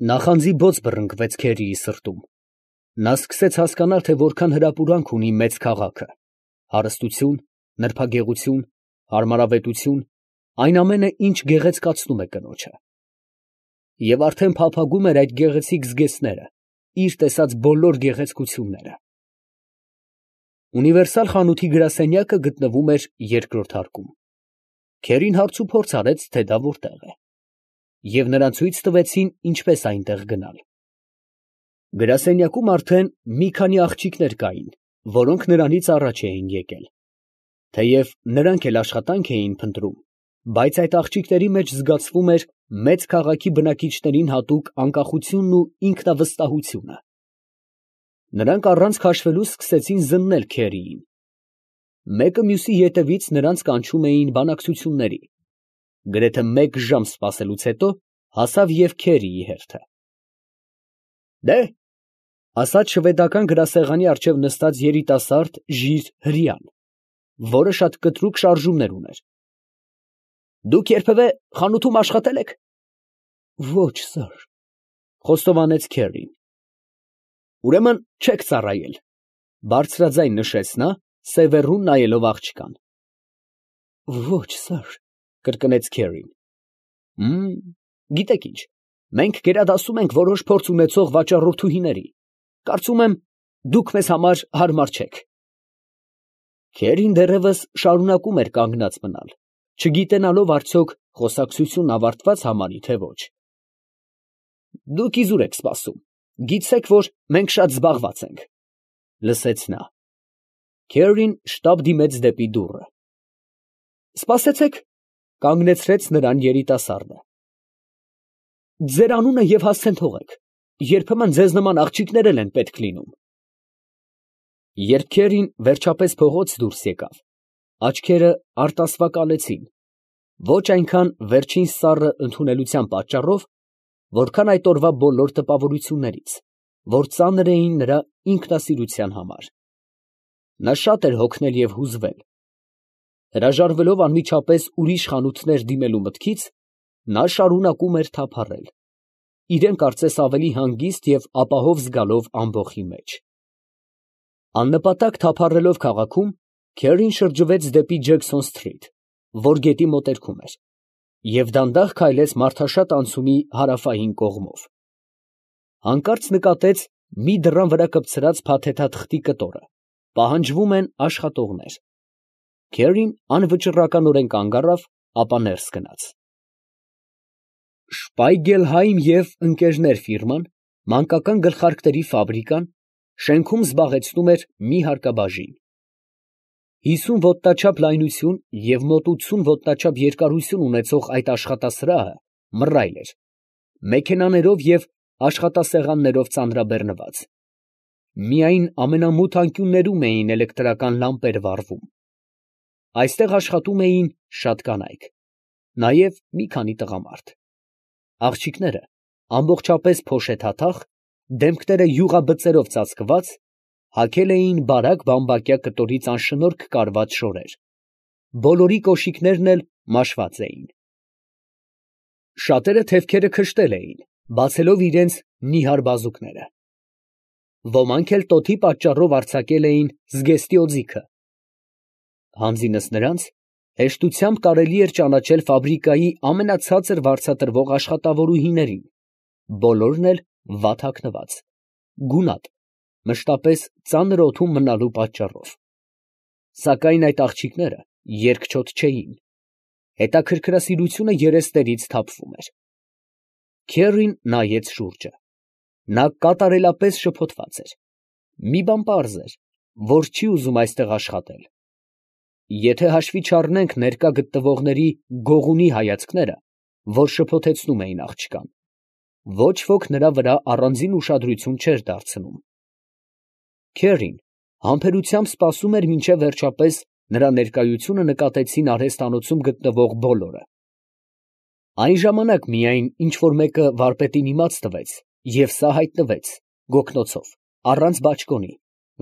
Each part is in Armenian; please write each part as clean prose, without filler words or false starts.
Նախանձի բոծ բռնկվեց Քերիի սրտում. նա սկսեց հասկանալ, թե որքան հրապուրանք ունի մեծ քաղաքը, հարստություն, նրբագեղություն, հարմարավետություն, այն ամենը, ինչ գեղեցկացնում է կնոջը. և արդեն փափագում էր այդ գեղեցիկ զգեստները, իր տեսած բոլոր գեղեցկությունները։ Ունիվերսալ խանութի գրասենյակը գտնվում էր երկրորդ հարկում։ Քերին հարցուփորձ արեց, թե դա որտեղ է, և նրան ցույց տվեցին ինչպես այնտեղ գնալ։ Գրասենյակում արդեն մի քանի աղջիկներ կային, որոնք նրանից առաջ էին եկել։ Թեև նրանք էլ աշխատանք էին փնտրում, բայց այդ աղջիկների մեջ զգացվում էր մեծ քաղաքի բնակիչներին հատուկ անկախությունն ու ինքնավստահությունը։ Նրանք առանց քաշվելու սկսեցին զննել Քերիին։ Մեկը մյուսի ետևից նրանց կանչում էին բանակցությունների։ Գրեթե մեկ ժամ սպասելուց հետո հասավ և Քերիի հերթը։ «Դե՛հ», ասաց շվեդական գրասեղանի առջև նստած երիտասարդ ժիր հրեան, որը շատ կտրուկ շարժումներ ուներ։ «Դուք երբևէ խանութում աշխատե՞լ եք»։ «Ոչ, սըր», խոստովանեց Քերին։ «Ուրեմն չեք ծառայել», բարձրաձայն նշեց նա, սևեռուն նայելով աղջկան։ «Ոչ, սըր», կրկնեց Քերին։ Գիտեք ինչ, մենք գերադասում ենք որոշ փորձ ունեցող վաճառորդուհիների, կարծում եմ, դուք մեզ համար հարմար չեք։ Քերին դեռևս շարունակում էր կանգնած մնալ, չգիտենալով արդյոք խոսակցությունն ավարտվա՞ծ համարի, թե ոչ։ «Դուք իզուր եք սպասում, գիտեք, որ մենք շատ զբաղված ենք», լսեց նա։ Քերին շտապ դիմեց դեպի դուռը։ «Սպասեցեք», կանգնեցրեց նրան երիտասարդը։ «Ձեր անունը և հասցեն թողեք, երբեմն ձեզ նման աղջիկներ էլ են պետք լինում»։ Երբ Քերին վերջապես փողոց դուրս եկավ, աչքերը արտասվակալեցին, ոչ այնքան վերջին սառը ընդունելության պատճառով, որքան այդ օրվա բոլոր տպավորություններից, որ ծանր էին նրա ինքնասիրության համար։ Նա շատ էր հոգնել և հուզվել։ Հրաժարվելով անմիջապես ուրիշ խանութներ դիմելու մտքից, նա շարունակում էր թափառել, իրան կարծես ավելի հանգիստ և ապահով զգալով ամբոխի մեջ։ Աննպատակ թափառելով քաղաքում, Քերին շրջվեց դեպի Ջեքսոն Սթրիթ, որ գետի մոտերքում էր, և դանդաղ քայլեց մարդաշատ անցումի հարավային կողմով։ Հանկարծ նկատեց մի դռան վրա կպցրած փաթեթաթղթի կտորը, պահանջվում են աշխատողներ։ Քերին անվճռականորեն կանգ առավ, ապա ներս գնաց։ Շպայգելհայմ և ընկերներ ֆիրման, մանկական գլխարկների ֆաբրիկան, շենքում զբաղեցնում էր մի հարկաբաժին։ 50 ոտնաչափ լայնություն և մոտ 80 ոտնաչափ երկարություն ունեցող այդ աշխատասրահը մռայլ էր, մեքենաներով և աշխատասեղաններով ծանրաբեռնված։ Միայն ամենամութ անկյուններում էին էլեկտրական լամպեր վառվում։ Այստեղ աշխատում էին շատ կանայք, նաև մի քանի տղամարդ։ Աղջիկները ամբողջապես փոշեթաթախ, դեմքները յուղաբծերով ծածկված, հագել էին բարակ բամբակյա կտորից անշնորհք կարված շորեր, բոլորի կոշիկներն էլ մաշված էին։ Շատերը թևքերը քշտել էին, բացելով իրենց նիհար բազուկները։ Ոմանք էլ տոթի պատճառով արձակել էին զգեստի օձիքը։ Հանձինս նրանց, հեշտությամբ կարելի էր ճանաչել ֆաբրիկայի ամենացածր վարձատրվող աշխատավորուհիներին, բոլորն էլ վատ հագնված, գունատ, մշտապես ծանր օդում մնալու պատճառով։ Սակայն այդ աղջիկները երկչոտ չէին, հետաքրքրասիրությունը երեսներից թափվում էր։ Քերին նայեց շուրջը։ Նա կատարելապես շփոթված էր։ Մի բան պարզ էր, որ չի ուզում այստեղ աշխատել։ Եթե հաշվի չառնենք ներկա գտնվողների գողունի հայացքները, որ շփոթեցնում էին աղջկան, ոչ ոք նրա վրա առանձին ուշադրություն չէր դարձնում։ Քերին համբերությամբ սպասում էր, մինչև վերջապես նրա ներկայությունը նկատեցին արհեստանոցում գտնվող բոլորը։ Այն ժամանակ միայն ինչ֊որ մեկը վարպետին իմաց տվեց, և սա հայտնվեց, գոգնոցով, առանց բաճկոնի,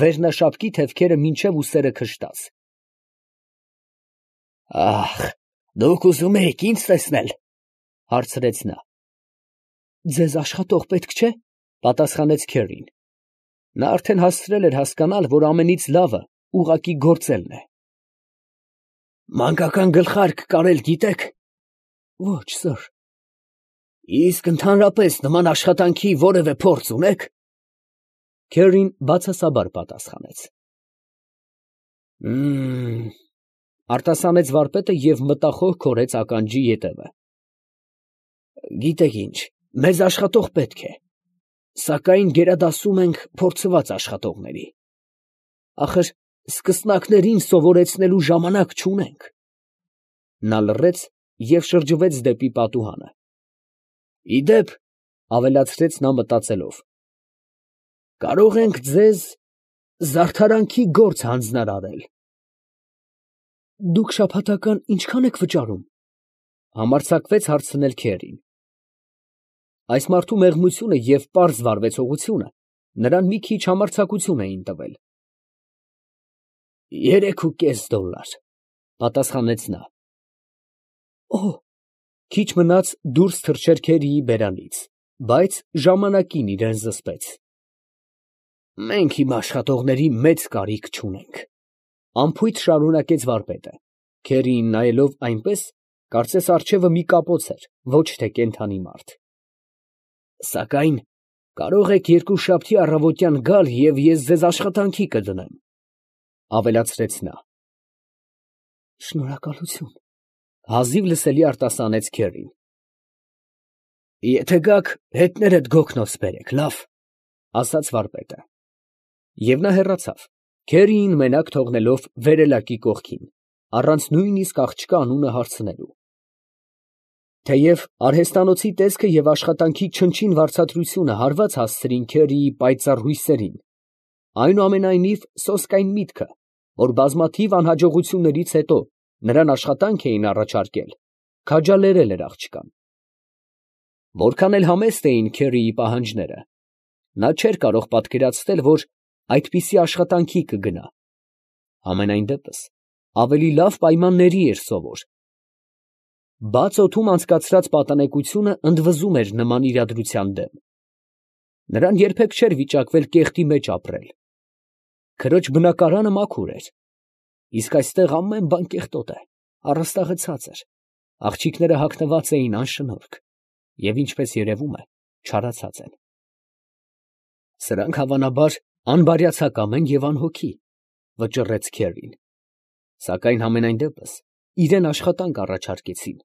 վերնաշապկի թևքերը մինչև ուսերը քշտած։ «Ա՜խ, դուք ուզում էիք ի՞նձ տեսնել», ֊ հարցրեց նա։ Ձեզ աշխատող պետք չէ, պատասխանեց Քերին։ Նա արդեն հասցրել էր հասկանալ, որ ամենից լավը ուղղակի գործելն է։ Մանկական գլխարկ կարել գիտեք։ Ոչ, սըր։ Իսկ ընդհանրապես նման աշխատանքի որևէ փորձ ունեք։ Քերին բացասաբար պատասխանեց։ Արտասանեց վարպետը և մտախոհ քորեց ականջի ետևը։ Գիտեք ինչ, մեզ աշխատող պետք է, սակայն գերադասում ենք փորձված աշխատողների։ Ախր սկսնակներին սովորեցնելու ժամանակ չունենք։ Նա լռեց և շրջվեց դեպի պատուհանը։ Իդեպ, ավելացրեց նա մտածելով, կարող ենք ձեզ զարդարանքի գործ հանձնարարել։ Դուք շաբաթական ինչքան եք վճարում, համարձակվեց հարցնել Քերին։ Այս մարդու մեղմությունը և պարզ վարվեցողությունը նրան մի քիչ համարձակություն էին տվել։ $3.50, պատասխանեց նա։ Օհ, քիչ մնաց դուրս թռչեր Քերիի բերանից, բայց ժամանակին իրան զսպեց։ Մենք իմ աշխատողների մեծ կարիք չունենք, անփույթ շարունակեց վարպետը, Քերիին նայելով այնպես, կարծես առջևը մի կապոց էր, ոչ թե կենդանի մարդ։ Սակայն կարող եք երկուշաբթի առավոտյան գալ և ես ձեզ աշխատանքի կդնեմ, ավելացրեց նա։ Շնորհակալություն, հազիվ լսելի արտասանեց Քերին։ Եթե գաք, հետներդ գոգնոց բերեք, լավ, ասաց վարպետը։ Եվ նա հեռացավ, Քերիին մենակ թողնելով վերելակի կողքին, առանց նույնիսկ աղջկա անունը հարցնելու։ Թեև արհեստանոցի տեսքը և աշխատանքի չնչին վարձատրությունը հարված հասցրին Քերիի պայծառ հույսերին, այնուամենայնիվ սոսկայն միտքը, որ բազմաթիվ անհաջողություններից հետո նրան աշխատանք էին առաջարկել, քաջալերել էր աղջկան։ Որքան էլ համեստ էին Քերիի պահանջները, նա չէր կարող պատկերացնել, որ այդպիսի աշխատանքի կգնա։ Համենայն դեպս, ավելի լավ պայմանների էր սովոր։ Բաց օդում անցկացրած պատանեկությունը ընդվզում էր նման իրադրության դեմ։ Նրան երբեք չէր վիճակվել կեղտի մեջ ապրել։ Քրոջ բնակարանը մաքուր էր, իսկ այստեղ ամեն բան կեղտոտ է, առաստաղը ցածր, աղջիկները հագնված էին անշնորհք և, ինչպես երևում է, չարացած են։ Սրանք հավանաբար անբարյացակամ են և անհոգի, վճռեց Քերին, սակայն համենայն դեպս իրան աշխատանք առաջարկեցին։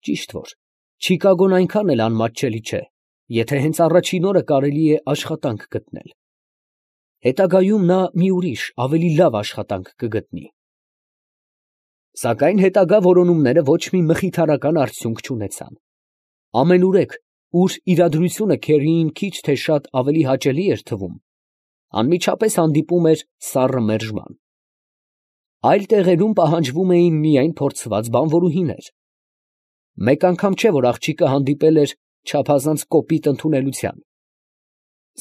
Ճիշտ որ Չիկագոն այնքան էլ անմատչելի չէ, եթե հենց առաջին օրը կարելի է աշխատանք գտնել։ Հետագայում նա մի ուրիշ, ավելի լավ աշխատանք կգտնի։ Սակայն հետագա որոնումները ոչ մի մխիթարական արդյունք չունեցան։ Ամենուրեք, ուր իրադրությունը Քերիին քիչ թե շատ ավելի հաճելի էր թվում, անմիջապես հանդիպում էր սառը մերժման։ Այլ տեղերում պահանջվում էին միայն փորձված բանվորուհիներ։ Մեկ անգամ չէ, որ աղջիկը հանդիպել էր չափազանց կոպիտ ընդունելության։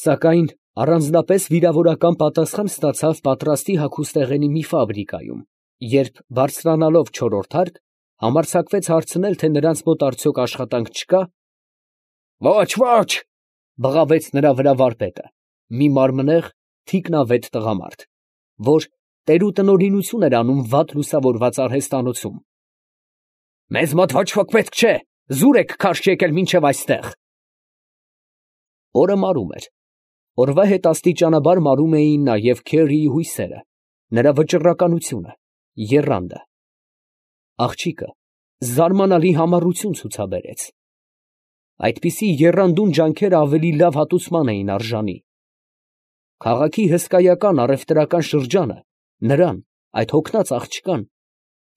Սակայն առանձնապես վիրավորական պատասխան ստացավ պատրաստի հագուստեղենի մի ֆաբրիկայում, երբ, բարձրանալով չորրորդ հարկ, համարձակվեց հարցնել, թե նրանց մոտ արդյոք աշխատանք չկա։ Ոչ, ոչ, բղավեց նրա վրա վարպետը, մի մարմնեղ, թիկնավետ տղամարդ, որ տերուտնօրինություն էր անում վատ լուսավորված արհեստանոցում։ Մեզ մոտ ոչ ոք պետք չէ, զուր եք քարշ եկել մինչև այստեղ։ Օրը մարում էր։ Օրվա հետ աստիճանաբար մարում էին նաև Քերիի հույսերը, նրա վճռականությունը, եռանդը։ Աղջիկը զարմանալի համառություն ցուցաբերեց։ Այդպիսի եռանդուն ջանքերը ավելի լավ հատուցման էին արժանի։ Քաղաքի հսկայական առևտրական շրջանը նրան, այդ հոգնած աղջկան,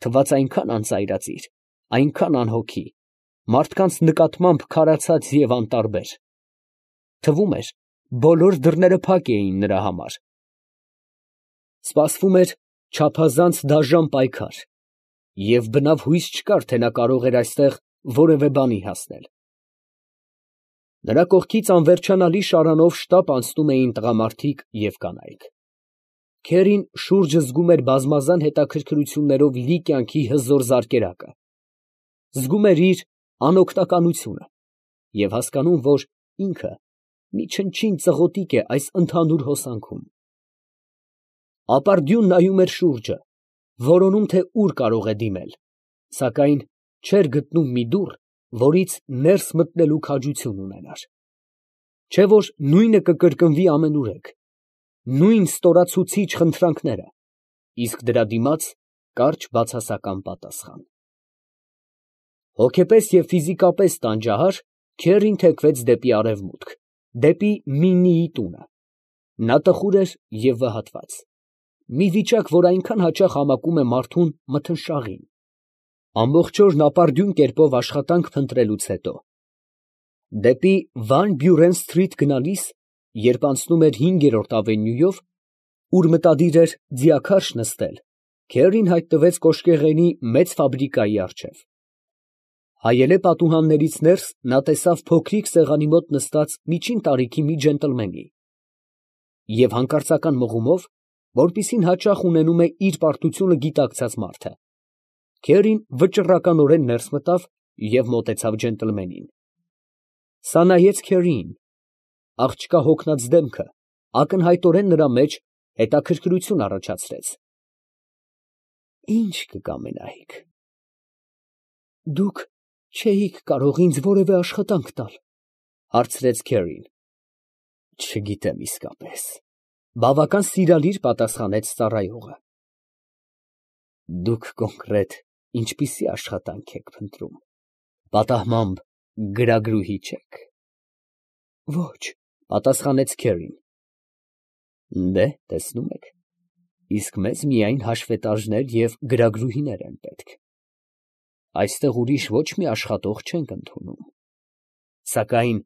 թվաց այնքան անծայրածիր, այնքան անհոգի, մարդկանց նկատմամբ քարացած և անտարբեր։ Թվում էր, բոլոր դռները փակ էին նրա համար։ Սպասվում էր չափազանց դաժան պայքար, և բնավ հույս չկար, թե նա կարող էր այստեղ որևէ բանի հասնել։ Նրա կողքից անվերջանալի շարանով շտապ անցնում էին տղամարդիկ և կանայք։ Քերին շուրջը զգում էր բազմազան հետաքրքրություններով լի կյանքի հզոր զարկերակը, զգում էր իր անօգնականությունը և հասկանում, որ ինքը մի չնչին ծղոտիկ է այս ընդհանուր հոսանքում։ Ապարդյուն նայում էր շուրջը, որոնում, թե ուր կարող է դիմել, սակայն չէր գտնում մի դուռ, որից ներս մտնելու քաջություն ունենար։ Չէ՞ որ նույնը կկրկնվի ամենուրեք, նույն ստորացուցիչ խնդրանքները, իսկ դրա դիմաց կարճ բացասական պատասխան։ Հոգեպես և ֆիզիկապես տանջահար, Քերին թեքվեց դեպի արևմուտք, դեպի Միննիի տունը։ Նա տխուր էր և վհատված, մի վիճակ, որ այնքան հաճախ համակում է մարդուն մթնշաղին։ Ամբողջ օրն ապարդյուն կերպով աշխատանք փնտրելուց հետո, դեպի Վան Բյուրեն սթրիթ գնալիս, երբ անցնում էր 5-րդ ավենյուով, ուր մտադիր էր ձիաքարշ նստել, Քերին հայտնվեց կոշկեղենի մեծ ֆաբրիկայի առջև։ Հայելե պատուհաններից ներս նա տեսավ փոքրիկ սեղանի մոտ նստած միջին տարիքի մի ջենտլմենի և հանկարծական մղումով, որպիսին հաճախ ունենում է իր պարտությունը գիտակցած մարդը, Քերին վճռականորեն ներս մտավ և մոտեցավ ջենտլմենին։ Սա նայեց Քերիին, աղջկա հոգնած դեմքը ակնհայտորեն նրա մեջ հետաքրքրություն առաջացրեց։ Ի՞նչ կկամենայիք։ Դուք չէիք կարող ինձ որևէ աշխատանք տալ, հարցրեց Քերին։ Չգիտեմ իսկապես, բավական սիրալիր պատասխանեց ծառայողը։ Դուք կոնկրետ ինչպիսի աշխատանք եք փնտրում, պատահմամբ գրագրուհի չե՞ք։ Ոչ, պատասխանեց Քերին։ Դե, տեսնում եք, իսկ մեզ միայն հաշվետարներ և գրագրուհիներ են պետք։ Այստեղ ուրիշ ոչ մի աշխատող չենք ընդունում։ Սակայն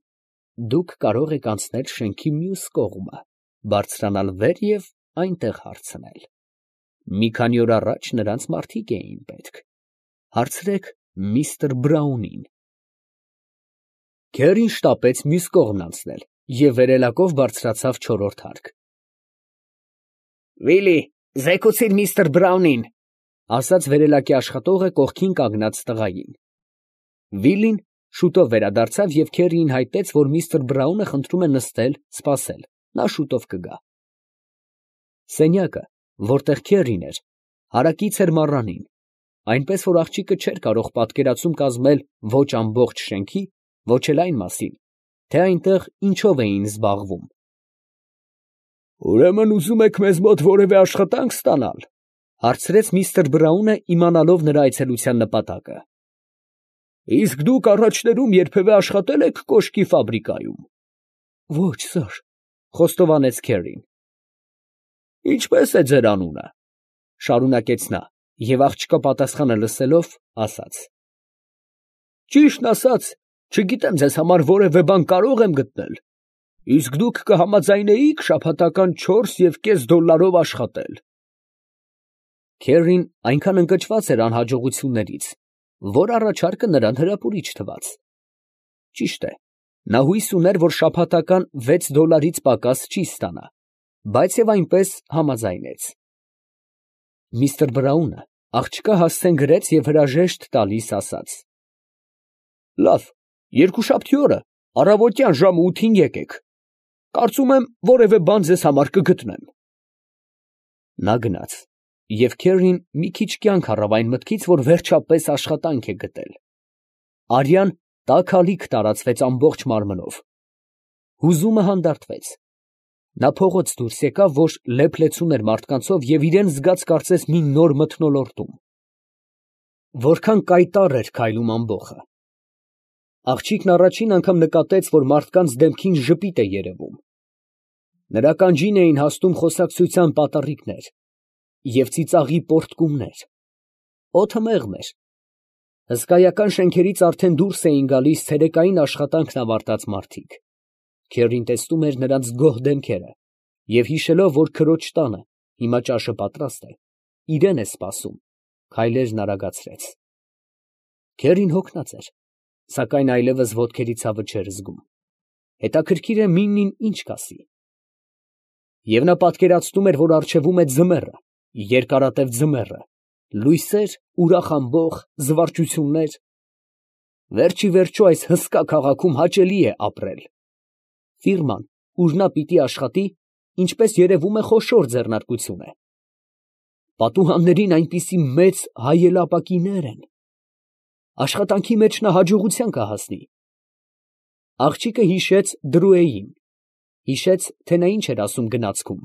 դուք կարող եք անցնել շենքի մյուս կողմը, բարձրանալ վեր և այնտեղ հարցնել։ Մի քանի օր առաջ նրանց մարդիկ էին պետք։ Հարցրեք միստր Բրաունին։ Քերին շտապեց մյուս կողմն անցնել և վերելակով բարձրացավ 4-րդ հարկ։ Վիլի, զեկուցիր միստր Բրաունին, ասաց վերելակի աշխատողը կողքին կանգնած տղային։ Վիլին շուտով վերադարձավ և Քերիին հայտնեց, որ միստր Բրաունը խնդրում է նստել, սպասել, նա շուտով կգա։ Սենյակը, որտեղ Քերին էր, հարակից էր մառանին, այնպես որ աղջիկը չէր կարող պատկերացում կազմել ոչ ամբողջ շենքի, ոչ էլ այն մասին, թե այնտեղ ինչով էին զբաղվում։ Ուրեմն ուզում եք մեզ մոտ որևէ աշխատանք ստանալ, հարցրեց միստր Բրաունը, իմանալով նրա այցելության նպատակը։ Իսկ դուք առաջներում երբևէ աշխատել եք կոշկի ֆաբրիկայում։ Ոչ, սըր, խոստովանեց Քերին։ Ինչպե՞ս է ձեր անունը, շարունակեց նա, և աղջկա պատասխանը լսելով, ասաց. Ճիշտն ասած, չգիտեմ ձեզ համար որևէ բան կարող եմ գտնել, իսկ դուք կհամաձայնեիք շաբաթական $4.5 աշխատել։ Քերին այնքան ընկճված էր անհաջողություններից, որ առաջարկը նրան հրապուրիչ թվաց։ Ճիշտ է, նա հույս ուներ, որ շաբաթական $6-ից պակաս չի ստանա, բայց և այնպես համաձայնեց։ Միստր Բրաունը աղջկա հասցեն գրեց և հրաժեշտ տալիս ասաց. Լավ, երկուշաբթի օրը առավոտյան ժամը 8-ին եկեք, կարծում եմ որևէ բան ձեզ համար կգտնեմ։ Նա գնաց, և Քերին մի քիչ կյանք առավ այն մտքից, որ վերջապես աշխատանք է գտել։ Արյան տաք ալիք տարածվեց ամբողջ մարմնով։ Հուզումը հանդարտվեց։ Նա փողոց դուրս եկավ, որ լեփ֊լեցուն էր մարդկանցով և իրան զգաց կարծես մի նոր մթնոլորտում։ Որքան կայտառ էր քայլում ամբոխը։ Աղջիկն առաջին անգամ նկատեց, որ մարդկանց դեմքին ժպիտ է երևում։ Նրա ականջին էին հասնում խոսակցության պատառիկներ և ծիծաղի պոռթկումներ։ Օդը մեղմ էր։ Հսկայական շենքերից արդեն դուրս էին գալիս ցերեկային աշխատանքն ավարտած մարդիկ։ Քերին տեսնում էր նրանց գոհ դեմքերը և հիշելով, որ քրոջ տանը հիմա ճաշը պատրաստ է, իրան է սպասում, քայլերն արագացրեց։ Քերին հոգնած էր, սակայն այլևս ոտքերի ցավը չէր զգում։ Հետաքրքիր է Միննին ինչ կասի։ Եվ նա պատկերացնում էր, որ առջևում է ձմեռը, երկարատև ձմեռը, լույսեր, ուրախ ամբոխ, զվարճություններ։ Վերջ ի վերջո այս հսկա քաղաքում հաճելի է ապրել։ Ֆիրման, ուր նա պիտի աշխատի, ինչպես երևում է, խոշոր ձեռնարկություն է։ Պատուհաններին այնպիսի մեծ հայելապակիներ են։ Աշխատանքի մեջ նա հաջողության կհասնի։ Աղջիկը հիշեց Դրուեին, հիշեց, թե նա ինչ էր ասում գնացքում։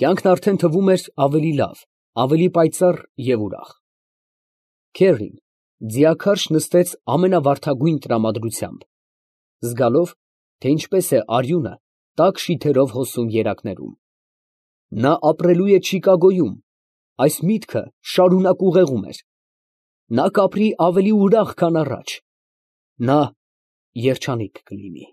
Կյանքն արդեն թվում էր ավելի լավ, ավելի պայծառ և ուրախ։ Քերրին ձիաքարշ նստեց ամենավարդագույն տրամադրությամբ, զգալով, թե ինչպես է արյունը տաք շիթերով հոսում երակներում։ Նա ապրելու է Չիկագոյում, այս միտքը շարունակ ուղեղում էր։ Նա կապրի ավելի ուրախ, քան առաջ։ Նա երջանիկ կլինի։